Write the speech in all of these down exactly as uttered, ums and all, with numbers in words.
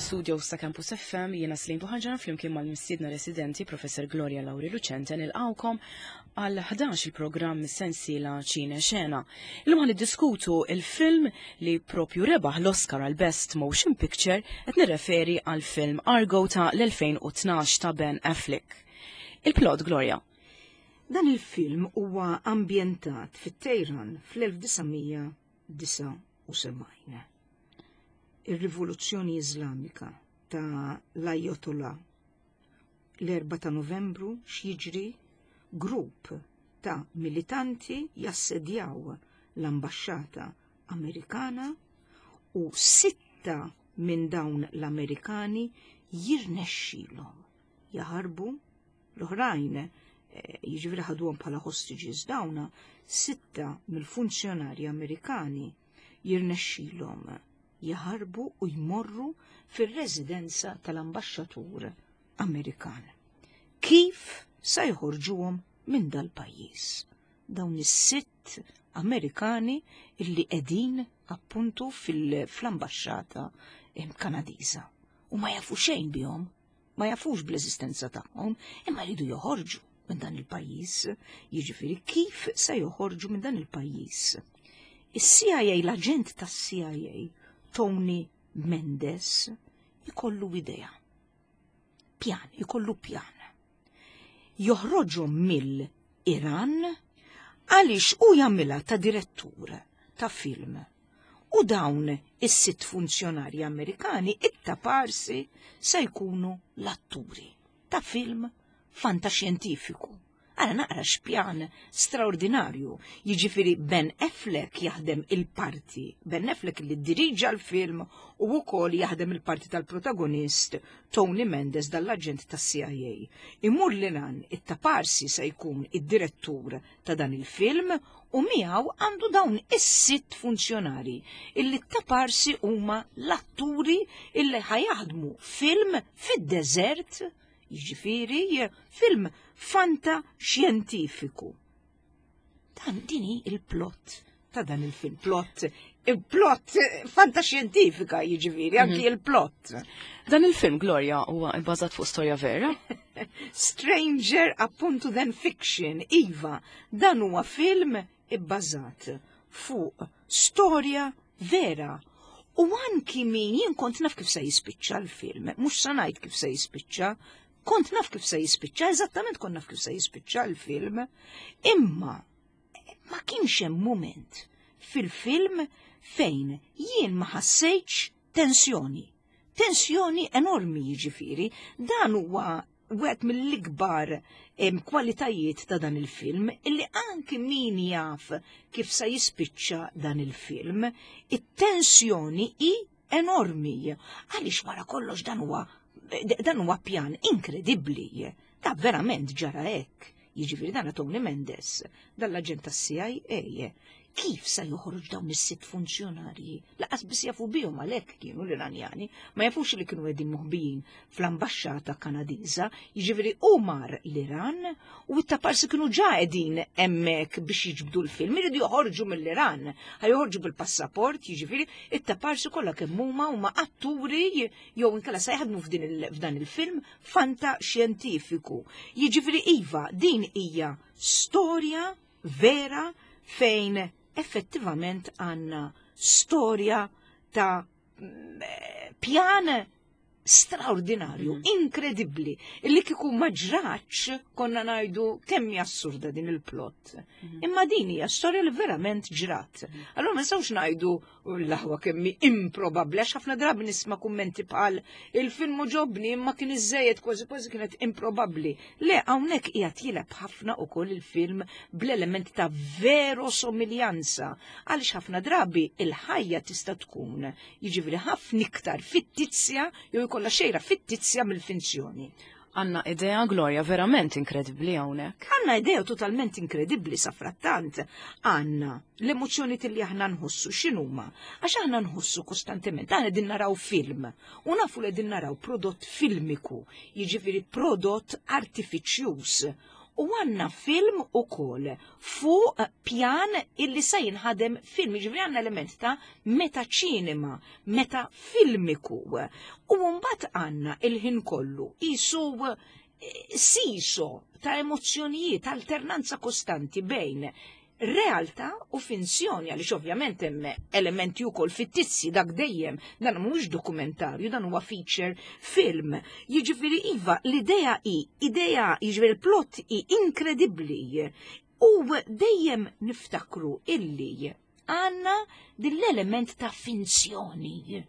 Mill-studio ta' Campus F M jiena Slim Buħanġana flimkien mal-mistiedna residenti Professor Gloria Lauri Lucente nilqawkom għal ħdax il-programm sensiela Ċine Xena. Illum ħa niddiskutu il-film li propju rebaħ l-Oscar għal Best Motion Picture, qed nirreferi għal film Argo ta' l-elfejn u tnax ta' Ben Affleck. Il-plot, Gloria. Dan il-film huwa ambjentat fit-Teheran fl-elf disa' mija disgħa u sebgħin. Ir-Rivoluzzjoni Iżlamika ta' l-Ayatollah, l-erbgħa ta' Novembru, x'jiġri? Grupp ta' militanti jassedjaw l-ambasċata Amerikana u sitta minn dawn l-Amerikani jirnexxilhom jaħarbu, l-oħrajn eh, jiġifieri ħaduhom bħala hostages. Dawna sitta mill-funzjonari Amerikani jirnexxilhom jaħarbu u jmorru fir-residenza tal-ambaxxatur Amerikan. Kif sa jħorġuhom minn dal-pajjiż? Dawn is-sitt Amerikani illi qegħdin appuntu fil-ambaxxata Kanadiża. U ma jafu xejn bihom, ma jafux bl-eżistenza tagħhom, imma jridu joħorġu minn dan il-pajjiż. Jiġifieri kif se joħorġu minn dan il-pajjiż? Is-C I A, l-aġent tas-C I A, Tony Mendes, ikollu idea. Pjan, ikollu pjan. Joħroġu mill-Iran għaliex u jagħmilha ta' direttur ta' film. U dawn is-sitt funzjonari Amerikani it-taparsi se jkunu l-atturi ta' film fantaxjentifiku. Ara naqra x'pjan straordinarju. Jiġifieri Ben Affleck jaħdem il-parti. Ben Affleck li diriġa l-film u wkoll jaħdem il-parti tal-protagonist Tony Mendes, dall-aġent tas-C I A. Imur l-Iran, it-taparsi se jkun id-direttur ta' dan il-film u miegħu għandu dawn is-sitt funzjonari illi taparsi huma l-atturi illi ħa jaħdmu film fid-deżert, jiġifieri film fanta xjentifiku. Dan dini il-plot ta' dan il-film, plot, il-plot fantaxjentifika jiġifieri, anki mhm. il-plot. Dan il-film, Gloria, huwa bbażat fuq storja vera? Stranger appunto than fiction, iva, dan huwa film ibbażat fuq storja vera. U anki min jien kont naf kif se jispiċċa l-film, mhux sa ngħid kif se jispiċċa, kont naf kif se jispiċċa, eżattament kont naf kif se jispiċċa l-film, imma ma kienx hemm moment fil-film fejn jien ma ħassejtx tensjoni. Tensjoni enormi jiġifieri, dan huwa wieħed mill-ikbar kwalitajiet ta' dan il-film, illi anki min jaf kif se jispiċċa dan il-film, it-tensjoni hi enormi. Għaliex wara kollox dan huwa dan huwa pjan inkredibbli. Ta' verament ġara hekk. Jiġifieri dan Tony Mendes, dal-aġent tas-C I A, kif se joħroġ dawn is-sitt funzjonarji? Lanqas biss jafu bihom, għalhekk kienu l-Iranjani, ma jafux li kienu qegħdin moħbijin fl-ambaxxata Kanadiża, jiġifieri u mar l-Iran u t-taparsi kienu ġa qegħdin hemmhekk biex jiġbdu l-film, iridu joħorġu mill-Iran, ħa joħorġu bil-passaport, jiġifieri it-taparsi kollha kemm huma huma atturi jew inkella se jaħdmu f'dan il-film fanta xjentifiku. Jiġifieri iva, din hija storja vera fejn effettivament għanna storja ta' pjan straordinarju, mm. inkredibbli, illi kiku ma ġratx konna ngħidu kemm hija assurda din il-plot. Mm. Imma din hija storja li verament ġrat. Mm. Allora ma nistgħux ngħidu l-aħwa kemm hi improbabbli, għax ħafna drabi nisma' kummenti bħal "il-film għoġobni imma kien iżejjed, kważi kważi kienet improbabbli". Le, hawnhekk qiegħed jilgħab ħafna ukoll il-film bl-element ta' verosomiljanza, għaliex ħafna drabi il-ħajja tista' tkun jiġifieri ħafna iktar fittizja jew jkollha xejra fittizja mill-finzjoni. Għanna idea, Gloria, verament inkredibbli hawnhekk. Għanna idea totalment inkredibbli. Safrattant għanna l-emozzjoni li aħna nħossu x'inhuma? Għax aħna nħossu kostantement, aħna din naraw film u nafu li din naraw prodott filmiku, jiġifieri prodott artifiċjuż. U għandna film ukoll fuq pjan illi se jinħadem film, jiġifieri għandna element ta' meta ċinema, meta filmiku. U mbagħad għandna il-ħin kollu isu eh, seesaw ta' emozzjonijiet, alternanza kostanti bejn realtà u finzjoni, għaliex ovvjament hemm elementi wkoll fittizzi dak dejjem, dan mhuwiex dokumentarju, dan huwa feature film. Jiġifieri iva, l-idea hi, idea, jiġifieri il-plot hi inkredibbli. U dejjem niftakru illi għandna din l-element ta' finzjoni.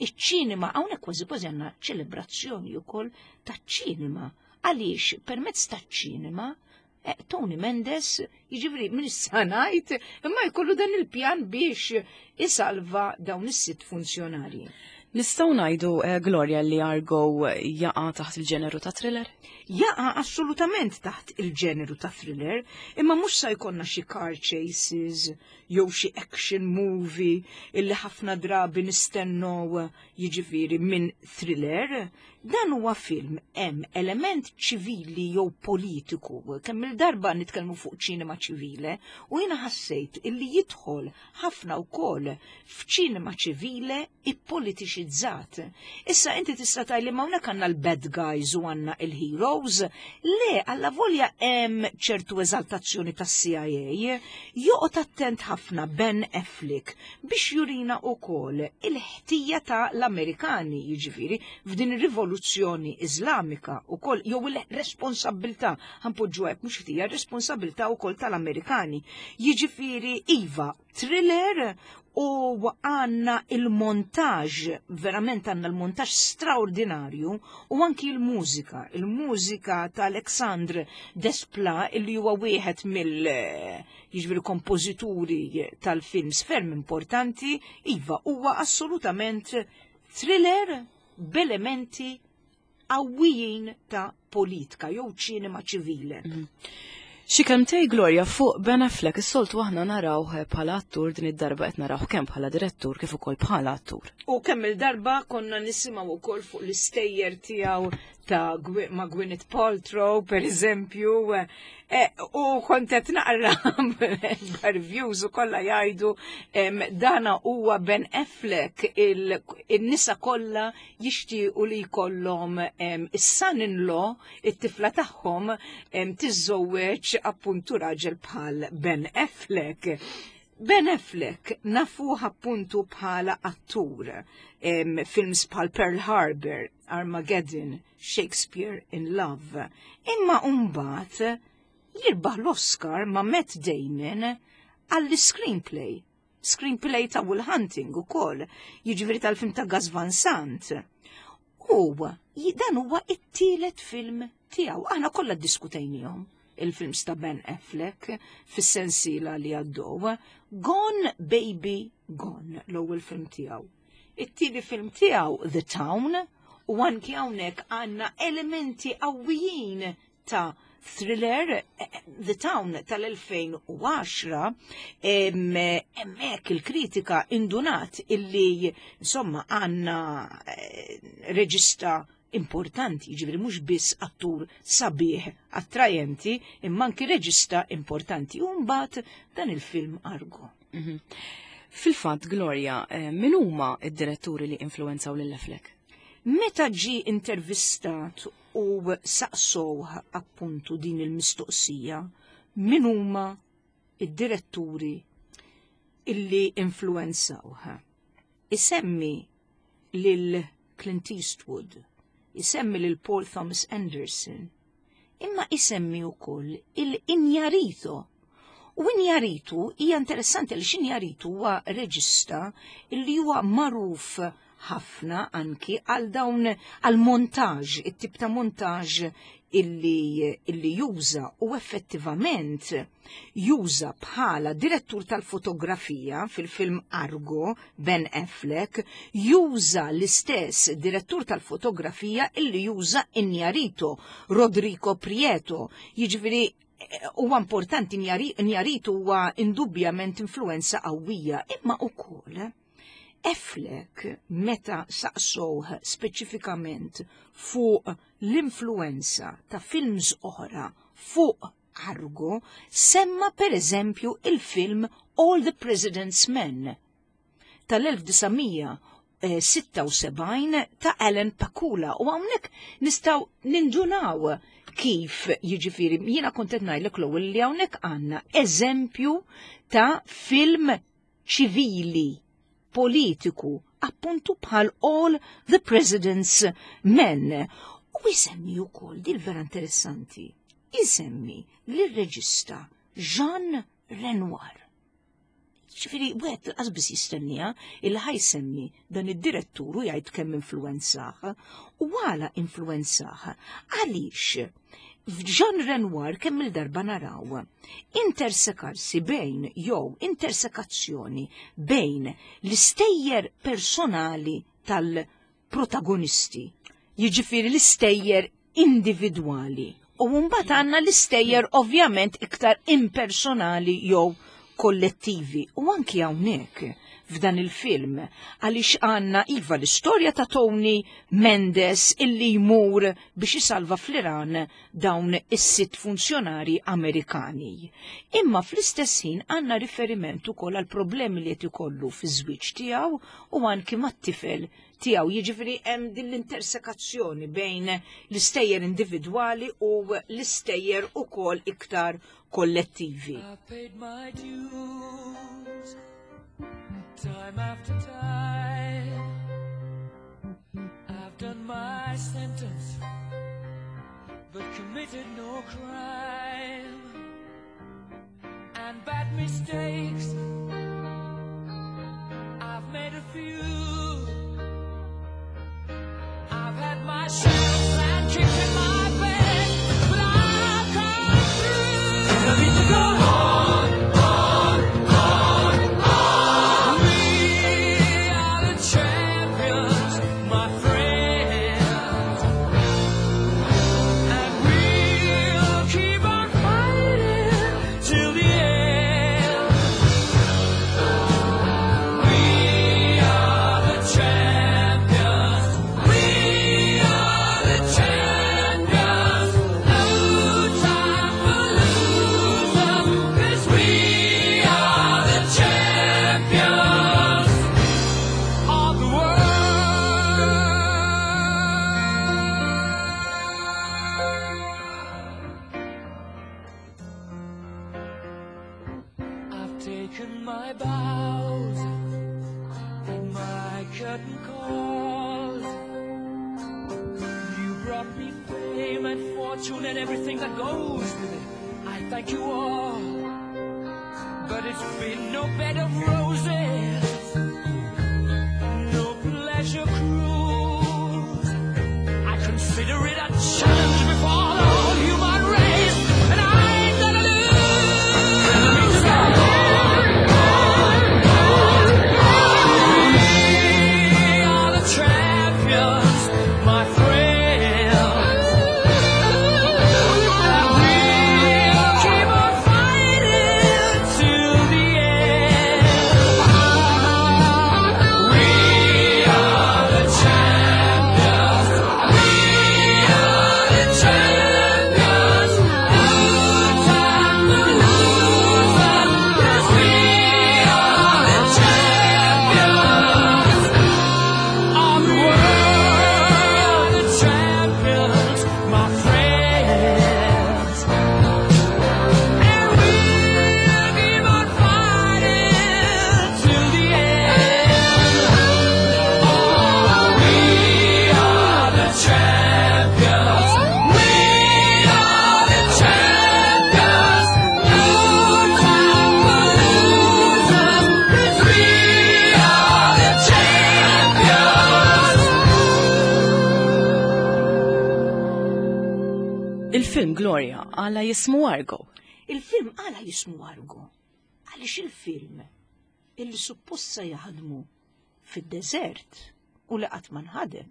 Iċ-ċinema, hawnhekk kważi kważi għandna ċelebrazzjoni wkoll ta' ċinema. Għaliex permezz ta' ċinema Eh, Tony Mendes, jiġifieri minn issa ngħid, imma jkollu dan il-pjan biex isalva dawn is-sitt funzjonarji. Nistgħu ngħidu eh, Gloria li Argo jaqa' taħt il-ġeneru ta' thriller? Jaqa' assolutament taħt il-ġeneru ta' thriller, imma mhux sa jkollna xi car chases jew xi action movie illi ħafna drabi nistennew jiġifieri minn thriller. Dan huwa film hemm element ċivili jew politiku. Kemm il-darba nitkellmu fuq ċinema ċivile u jiena ħassejt illi jidħol ħafna wkoll f'ċinema ċivile ippolitiċizzat. Issa inti tista' tgħidli ma hawnhekk għandna l-bad guys u għandna il-heroes. Le, alla volja hemm ċertu eżaltazzjoni tas-C I A, joqgħod attent ħafna Ben Affleck biex jurina wkoll il-ħtija ta' l-Amerikani, jiġifieri f'din ir-rivoluzzjoni Iżlamika ukoll jew il-responsabilità, ħa npoġġu hekk, mhux ħtija, responsabilità wkoll tal-Amerikani. Jiġifieri iva, thriller u għandna il-montaġ, verament għandna l-montaġ straordinarju u anki il-mużika, il-mużika ta' Alexandre Desplat, illi huwa wieħed mill jiġifieri kompożituri tal-films ferm importanti, iva, huwa assolutament thriller b'elementi qawwijin ta' politika jew ċinema ċivile. Xi kelmtejn, Gloria, fuq Ben Affleck. Is-soltu aħna narawh bħala attur, din id-darba qed narawh kemm bħala direttur kif ukoll bħala attur. U kemm il-darba konna nisimgħu wkoll fuq l-istejjer tiegħu ta' ma' Gwyneth Paltrow, per eżempju, e, u kont qed naqra reviews u kollha jgħidu dana huwa Ben Affleck, il-nisa kollha jixtiequ li jkollhom is-son-in-law, it-tifla tagħhom tiżżewweġ appuntu raġel bħal Ben Affleck. Ben Affleck nafuh appuntu bħala attur, em, films bħal Pearl Harbor, Armageddon, Shakespeare in Love. Imma mbagħad jirbaħ l-Oscar ma' Matt Damon għall-screenplay. Screenplay ta' Will Hunting ukoll, jiġifieri tal-film ta' Gus Van Sant. U dan huwa it-tielet film tiegħu. Aħna kollha ddiskutejnihom il-films ta' Ben Affleck fis-sensiela li għaddew. Gone Baby Gone, l-ewwel film tiegħu. It-tieni film tiegħu The Town, u anki hawnhekk għandna elementi qawwijin ta' thriller. The Town tal-elfejn u għaxra, hemmhekk il-kritika indunat illi insomma għandna eh, reġista importanti, ġifieri mhux biss attur sabiħ attrajenti, imma anki reġista importanti. U mbagħad dan il-film Argo. Mhm. Fil-fatt, Gloria, eh, min huma id-diretturi li influenzaw lil Affleck? Meta ġi intervistat u saqsow appuntu din il-mistoqsija, min huma id-diretturi illi influenzawh? Isemmi lil Clint Eastwood, isemmi lil Paul Thomas Anderson, imma isemmi wkoll il-Iñárritu. U Iñárritu hija interessanti li Iñárritu huwa reġista illi huwa magħruf ħafna anki għal dawn għal montaġ, it-tip ta' montaġ illi, illi juża, u effettivament juża bħala direttur tal-fotografija fil-film Argo, Ben Affleck, juża l-istess direttur tal-fotografija illi juża Iñárritu, Rodrigo Prieto. Jiġifieri huwa importanti, Iñárritu huwa indubjament influenza qawwija, imma ukoll Affleck meta saqsowh speċifikament fuq l-influenza ta' films oħra fuq Argo, semma per eżempju il-film All the President's Men tal-elf disa' mija sitta u sebgħin ta' Alan Pakula, u hawnhekk nistgħu nindunaw kif, jiġifieri jiena kont qed ngħidlek l-ewwel li hawnhekk għandna eżempju ta' film ċivili, politiku, appuntu bħal All the President's Men. U jsemmi wkoll, dil vera interessanti, jsemmi lir-reġista Jean Renoir. Ġifieri, wieħed lanqas biss jistennija il ħajsemmi dan id-direttur u jgħid kemm influenzah. U għala influenzah? Għaliex f'Jean Renoir kemm il-darba naraw intersekarsi bejn jew intersekazzjoni bejn l-istejjer personali tal-protagonisti, jiġifieri l-istejjer individwali, u mbagħad għandna l-istejjer ovvjament iktar impersonali jew kollettivi. U anki hawnhekk f'dan il-film, għaliex għandna iva l-istorja ta' Tony Mendes illi jmur biex isalva fl-Iran dawn is-sitt funzjonari Amerikani. Imma fl-istess ħin għandna riferiment ukoll għal problemi li qed ikollu fiż-żwieġ tiegħu u anki mat-tifel tiegħu. Jiġifieri hemm din l-intersekazzjoni bejn l-istejjer individwali u l-istejjer ukoll iktar kollettivi. I paid my dues time after time. I've done my sentence, but committed no crime. And bad mistakes, I've made a few. I've had my share of sand kicked in my bed, but I've come through. I need to go on, on, on, on. We are the champions, my friends, and we'll keep on fighting till the end. We are the champions. We are the champions. No time for losers, 'cause we are the champions of the world. I've taken my bows and my curtain calls. You brought me fame and fortune and everything that goes with it. I thank you all, but it's been no bed of roses, no pleasure cruise. I consider it a challenge before the whole human race, and I ain't gonna lose. We are the champions, my friends, and we'll keep on fighting till the end. We are the champions. We are the champions. No time for losers, 'cause we are the champions of the world. The champions, my friends, and we'll keep on fighting till the end. Oh, we are the champions. We are the champions. No time for losers, 'cause we are the champions. Il-film Gloria għala jismu Argo. Il-film għala jismu Argo. Għaliex il-film illi supposta jaħdmu fid-deżert u li qatt ma nħadem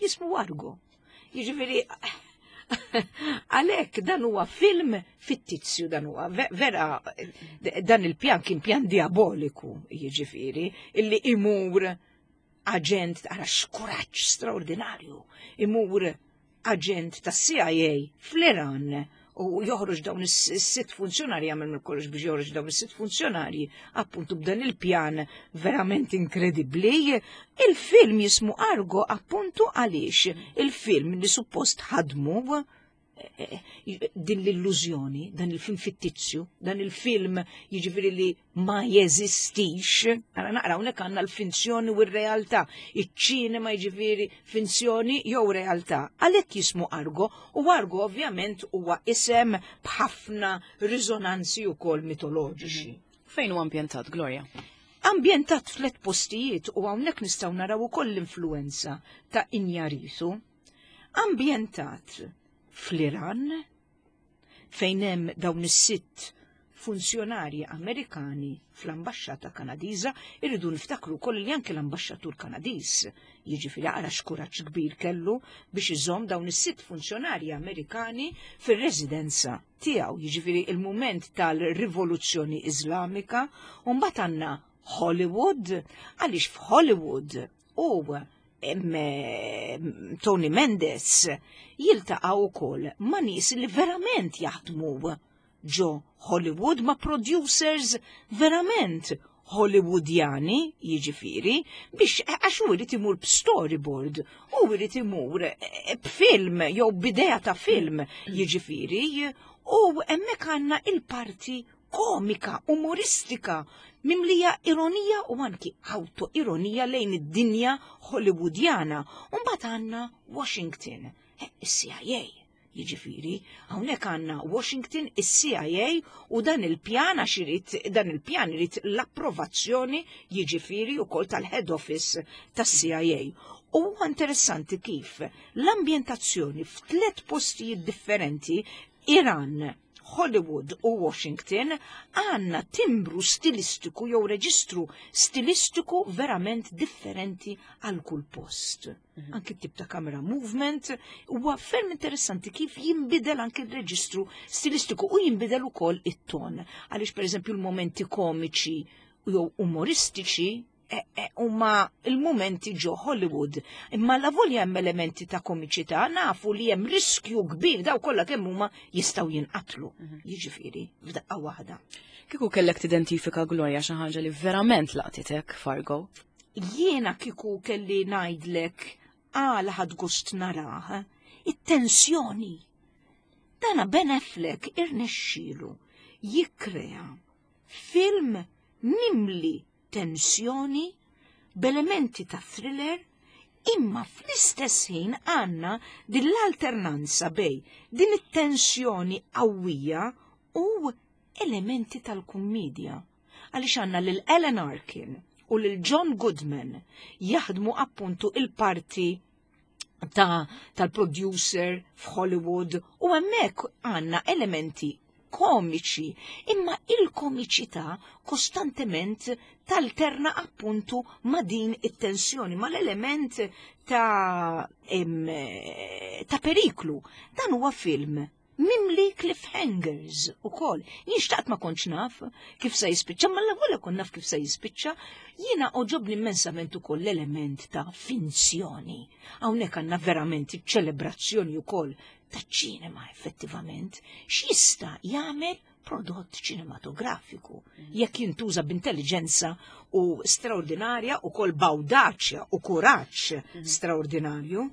jismu Argo. Jiġifieri għalhekk dan huwa film fittizju, dan huwa ve-, vera, dan il-pjan kien pjan diaboliku, jiġifieri, illi imur aġent, ara x'kuraġġ straordinarju, imur aġent tas C I A fl-Iran U joħroġ dawn is-sitt funzjonarji, jagħmel minn kollox biex joħroġ dawn is-sitt funzjonarji, appuntu b'dan il-pjan verament inkredibbli. Il-film jismu Argo appuntu għaliex il-film li suppost ħadmu eh, din l-illużjoni, dan il-film fittizju, dan il-film jiġifieri li ma jeżistix. Ara naqra hawnhekk għandna l-finzjoni u r-realtà, iċ-ċinema jiġifieri finzjoni jew realtà. Għalhekk jismu Argo, u Argo ovvjament huwa isem b'ħafna riżonanzi wkoll mitoloġiċi. Fejn huwa ambjentat, Gloria? Ambjentat f'tliet postijiet u hawnhekk nistgħu naraw ukoll l-influenza ta' Iñárritu. Ambjentat fl-Iran, fejn hemm dawn is-sitt funzjonarji Amerikani fl-ambaxxata Kanadiża, irridu niftakru wkoll li anke l-ambaxxatur Kanadiż, jiġifieri ara x'kuraġġ kbir kellu biex iżomm dawn is-sitt funzjonarji Amerikani fir-residenza tiegħu, jiġifieri il-mument tal-Rivoluzzjoni Iżlamika, u mbagħad għandna Hollywood, għaliex f'Hollywood u Tony Mendes jiltaqgħu wkoll ma' nies li verament jaħdmu ġo Hollywood, ma' producers verament Hollywoodjani, jiġifieri, biex għax u jrid imur b'storyboard, u jrid imur eh, b'film jew b'idea ta' film, jiġifieri, u hemmhekk għandna il-parti komika, umoristika, mimlija ironija u anki auto-ironija lejn id-dinja Hollywoodjana. U mbagħad għandna Washington, eh, is-C I A. Jiġifieri, hawnhekk għandna Washington, is-C I A u dan il-pjan għax irid dan il-pjan irid l-approvazzjoni jiġifieri wkoll tal-head office tas-C I A. U huwa interessanti kif l-ambjentazzjoni f'tliet postijiet differenti, Iran, Hollywood u Washington, għandna timbru stilistiku jew reġistru stilistiku verament differenti għal kull post. Mhm. Anki tip ta' camera movement huwa ferm interessanti kif jinbidel anki il-reġistru stilistiku u jinbidel ukoll it-ton. Għaliex pereżempju l-momenti komiċi jew umoristiċi e, e, huma il-momenti ġo Hollywood. Imma la volja hemm elementi ta' komiċità, nafu li hemm riskju kbir, daw kollha kemm huma jistgħu jinqatlu. Mhm. Jiġifieri f'daqqa waħda. Kieku kellek tidentifika, Gloria, xi ħaġa li verament laqtitek Fargo? Jiena kieku kelli ngħidlek għala ħadt gost narah, it-tensjoni. Dana Ben Affleck irnexxielu jikkrea film mimli tensjoni b'elementi ta' thriller, imma fl-istess ħin għandna din l-alternanza bejn din it-tensjoni qawwija u elementi tal-kummedja. Għaliex għandna lil Alan Arkin u lil John Goodman jaħdmu appuntu il-parti ta' tal-producer f'Hollywood u hemmhekk għandna elementi komiċi, imma il-komiċità kostantement talterna appuntu ma' din it-tensjoni, ma' l-element ta', em, ta' periklu. Dan huwa film mimli cliffhangers ukoll. Jien xtaqt ma kontx naf kif se jispiċċa, ma l-ewwel kont naf kif se jispiċċa, jiena għoġobni immensament ukoll l-element ta' finzjoni. Hawnhekk għandna verament iċ-ċelebrazzjoni ukoll ta' ċinema effettivament, x'jista' jagħmel prodott ċinematografiku jekk jintuża b'intelligenza u straordinarja u kol b'awdaċja u kuraġġ straordinarju.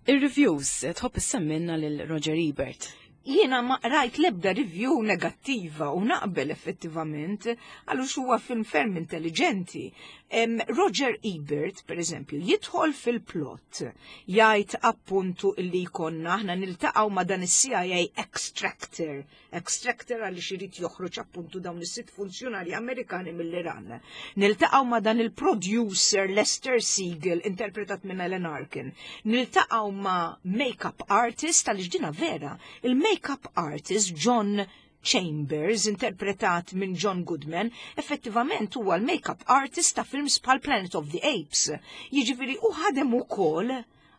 Ir-reviews, tħobb issemmilna lil Roger Ebert. Jiena ma rajt lebda review negattiva u naqbel effettivament għaliex huwa film ferm intelligenti. Em, Roger Ebert, per eżempju, jidħol fil-plot, jgħid appuntu illi jkollna aħna niltaqgħu ma' dan is-C I A extractor, extractor għaliex irid joħroġ appuntu dawn is-sitt funzjonari Amerikani mill-Iran. Niltaqgħu ma' dan il-producer Lester Siegel, interpretat minn Alan Arkin. Niltaqgħu ma' make-up artist, għaliex dina vera, il-make-up artist John Chambers, interpretat minn John Goodman, effettivament huwa l-make-up artist ta' films bħal Planet of the Apes. Jiġifieri u ħadem ukoll,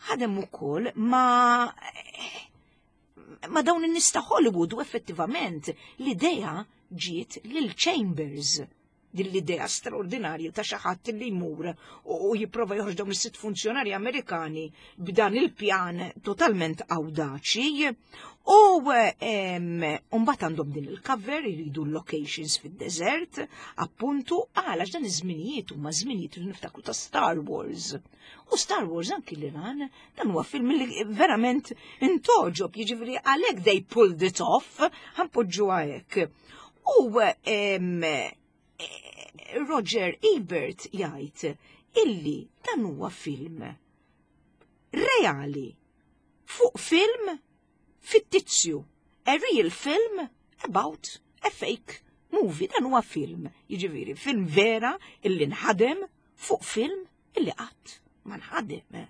ħadem ukoll ma' ma' dawn in-nies ta' Hollywood u effettivament l-idea ġiet lil Chambers. Din l-idea straordinarja ta' xi ħadd li jmur u jipprova joħroġ dawn is-sitt funzjonarji Amerikani b'dan il-pjan totalment awdaċi. U mbagħad għandhom din il-cover, jridu l-locations fid-deżert, appuntu għalax dan iż-żminijiet huma żminijiet li niftakru ta' Star Wars. U Star Wars anki l-Iran, dan huwa film li verament intogħġob, jiġifieri għalhekk they pulled it off, ħa npoġġuha hekk. U Roger Ebert jgħid illi dan huwa film reali fuq film fittizju, a real film about a fake movie. Dan huwa film, jiġifieri film vera illi nħadem fuq film illi qatt ma nħadem.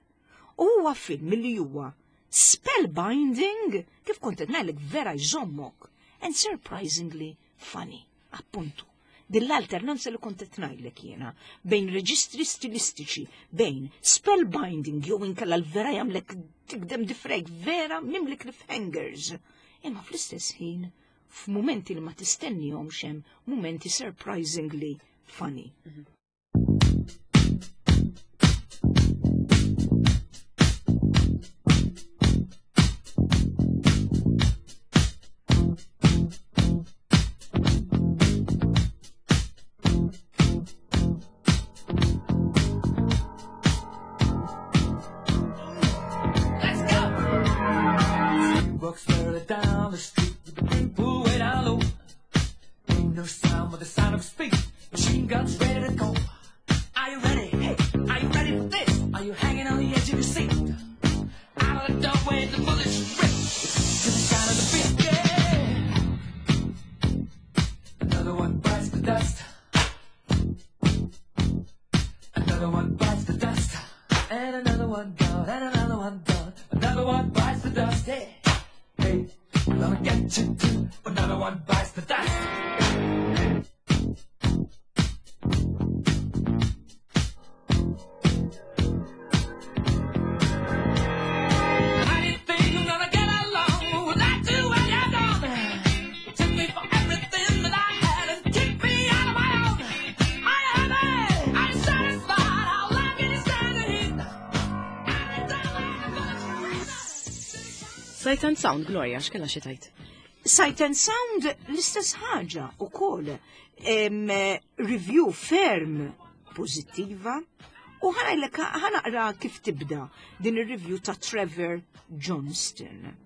U huwa film illi huwa spellbinding, kif kont qed ngħidlek, vera jżommok, and surprisingly funny, appuntu. Din l-alternanza li kont qed ngħidlek jiena bejn reġistri stilistiċi, bejn spellbinding jew inkella l-vera jagħmlek tikdem difrejk, vera mimli cliffhangers. Imma fl-istess ħin f'mumenti li ma tistennihomx hemm mumenti surprisingly funny. Mm -hmm. Down the street with the brim pulled way down low. Ain't no sound but the sound of speed. Machine guns ready to go. Are you ready? Hey, are you ready for this? Are you hanging on the edge of your seat? Out of the doorway, the bullets rip to the sound of the beat. Yeah. Another one bites the dust. Another one bites the dust. And another one gone. And another one gone. Another one bites the dust. Hey. Hey, I'm gonna get you too. Another one bites the dust. How do you think I'm gonna get along without you when you're gone? You took me for everything that I had and kicked me out of my own. Are you happy? Are you satisfied? How long can you stand the heat? Sight and Sound, Gloria, x'kellha xi tgħid? Sight and Sound l-istess ħaġa ukoll. Review ferm pożittiva u ħa naqra kif tibda din ir-review ta' Trevor Johnston.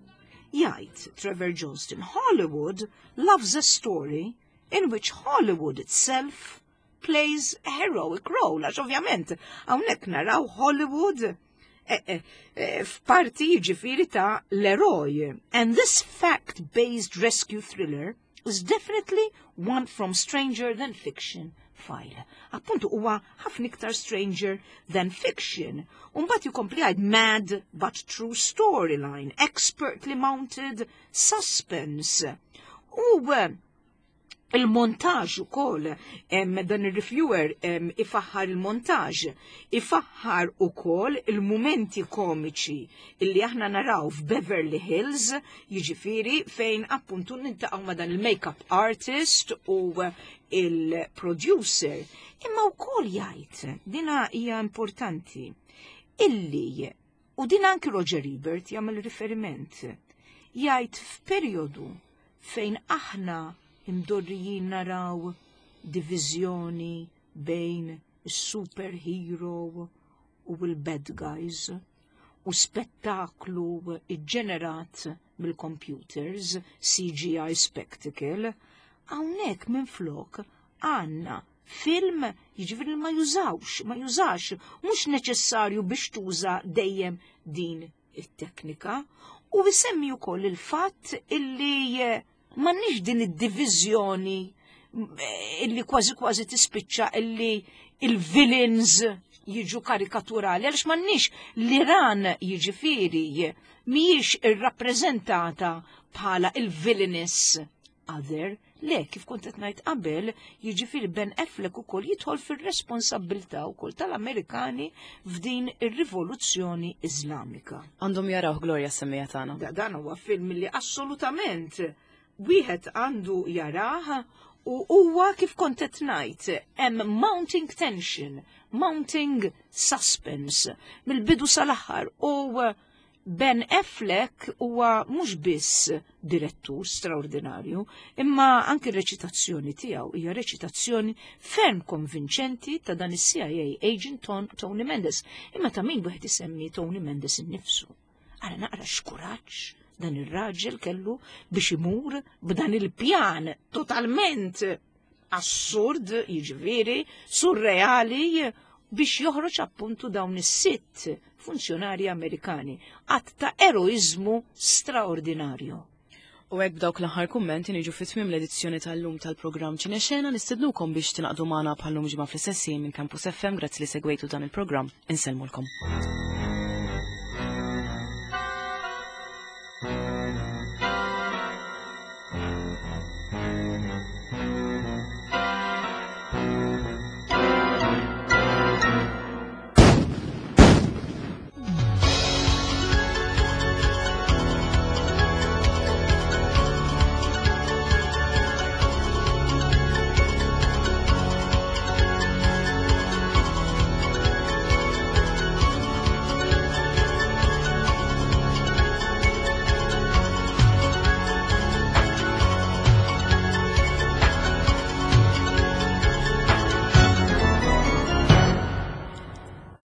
Jgħid Trevor Johnston, "Hollywood loves a story in which Hollywood itself plays a heroic role." Għax ovvjament hawnhekk naraw Hollywood f'parti ġifieri ta' l-eroj. "And this fact-based rescue thriller is definitely one from stranger than fiction file." Appuntu huwa ħafna iktar stranger than fiction. Umbagħad jkompli jgħid "mad but true storyline, expertly mounted suspense." U il-montaġ ukoll, dan il-reviewer ifaħħar il-montaġ, ifaħħar ukoll il-mumenti komiċi illi aħna naraw f'Beverly Hills, jiġifieri fejn appuntu niltaqgħu ma' dan il-makeup artist u il-producer. Imma wkoll jgħid, dina hija importanti, illi, u din anki Roger Ebert jagħmel riferiment, jgħid f'perjodu fejn aħna imdorrijin naraw diviżjoni bejn is-superhero u l-bad guys u spettaklu iġġenerat mill-computers, C G I spectacle, hawnhekk minn flok għandna film, jiġifieri ma jużawx, ma jużax, mhux neċessarju biex tuża dejjem din it-teknika. U jsemmi wkoll il-fatt illi m'għandniex din id-diviżjoni illi kważi kważi tispiċċa illi il-villains jiġu karikaturali, għaliex m'għandniex l-Iran, jiġifieri mhijiex irrappreżentata bħala il-villainous other. Le, kif kont qed ngħid qabel, jiġifieri Ben Affleck ukoll jidħol fir-responsabbiltà wkoll tal-Amerikani f'din ir-rivoluzzjoni Iżlamika. Għandhom jaraw, Gloria, semmija tagħna. Da, dan huwa film li assolutament wieħed għandu jarah. U huwa kif kont qed ngħid, hemm mounting tension, mounting suspense mill-bidu sal-aħħar u Ben Affleck huwa mhux biss direttur straordinarju, imma anki r-reċitazzjoni tiegħu hija reċitazzjoni ferm konvinċenti ta' dan is-C I A agent Ton Tony Mendes. Imma ta' min wieħed isemmi Tony Mendes innifsu. Ara naqra x'kuraġġ dan ir-raġel kellu biex imur b'dan il-pjan totalment assurd, jiġifieri, surreali, biex joħroġ appuntu dawn is-sitt funzjonari Amerikani. Att ta' eroizmu straordinarju. U hekk b'dawk l-aħħar kummenti niġu fi tmiem l-edizzjoni tal-lum tal-programm Ċinexena. Nistednukom biex tingħaqdu magħna bħal-lum ġimgħa fl-istess minn Campus F M. Grazzi li segwejtu dan il-programm. Insellmulkom.